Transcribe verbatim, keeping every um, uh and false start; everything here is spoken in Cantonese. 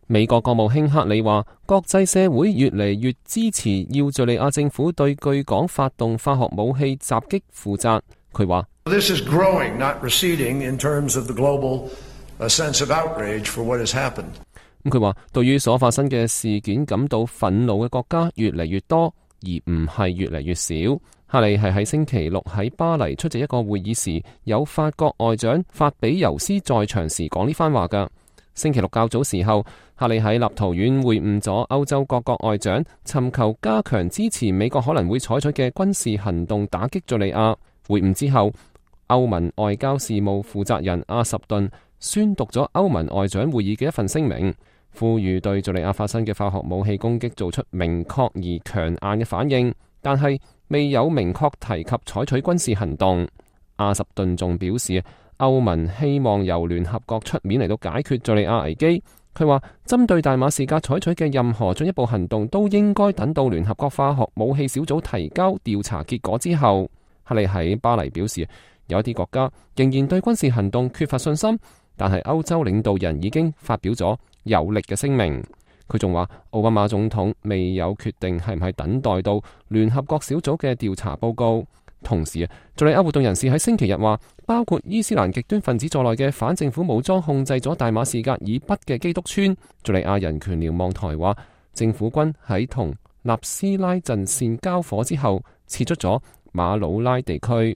美國國務卿克里話，國際社會越嚟越支持要敘利亞政府對據講發動化學武器襲擊負責。佢話：This is growing, not receding, in terms of the global sense of outrage for what has happened. 咁佢話，對於所發生嘅事件感到憤怒嘅國家越嚟越多，而唔係越嚟越少。克里係喺星期六喺巴黎出席一個會議時，有法國外長法比尤斯在場時講呢番話㗎。星期六較早時候，克里喺立陶宛會晤咗歐洲各國外長，尋求加強支持美國可能會採取嘅軍事行動打擊敘利亞。會晤之後，歐盟外交事務負責人阿什頓宣讀咗歐盟外長會議嘅一份聲明，呼籲對敘利亞發生嘅化學武器攻擊做出明確而強硬嘅反應，但係未有明確提及採取軍事行動。阿什頓仲表示，歐盟希望由聯合國出面嚟到解決敘利亞危機。佢話，針對大馬士革採取嘅任何進一步行動都應該等到聯合國化學武器小組提交調查結果之後。克里喺巴黎表示，有一啲國家仍然對軍事行動缺乏信心，但係歐洲領導人已經發表咗有力嘅聲明。佢仲話，奧巴馬總統未有決定係唔係等待到聯合國小組嘅調查報告。同時啊，敘利亞活動人士喺星期日話，包括伊斯蘭極端分子在內嘅反政府武裝控制咗大馬士革以北嘅基督村。敘利亞人權瞭望台話，政府軍喺同納斯拉陣線交火之後，撤出咗馬魯拉地區。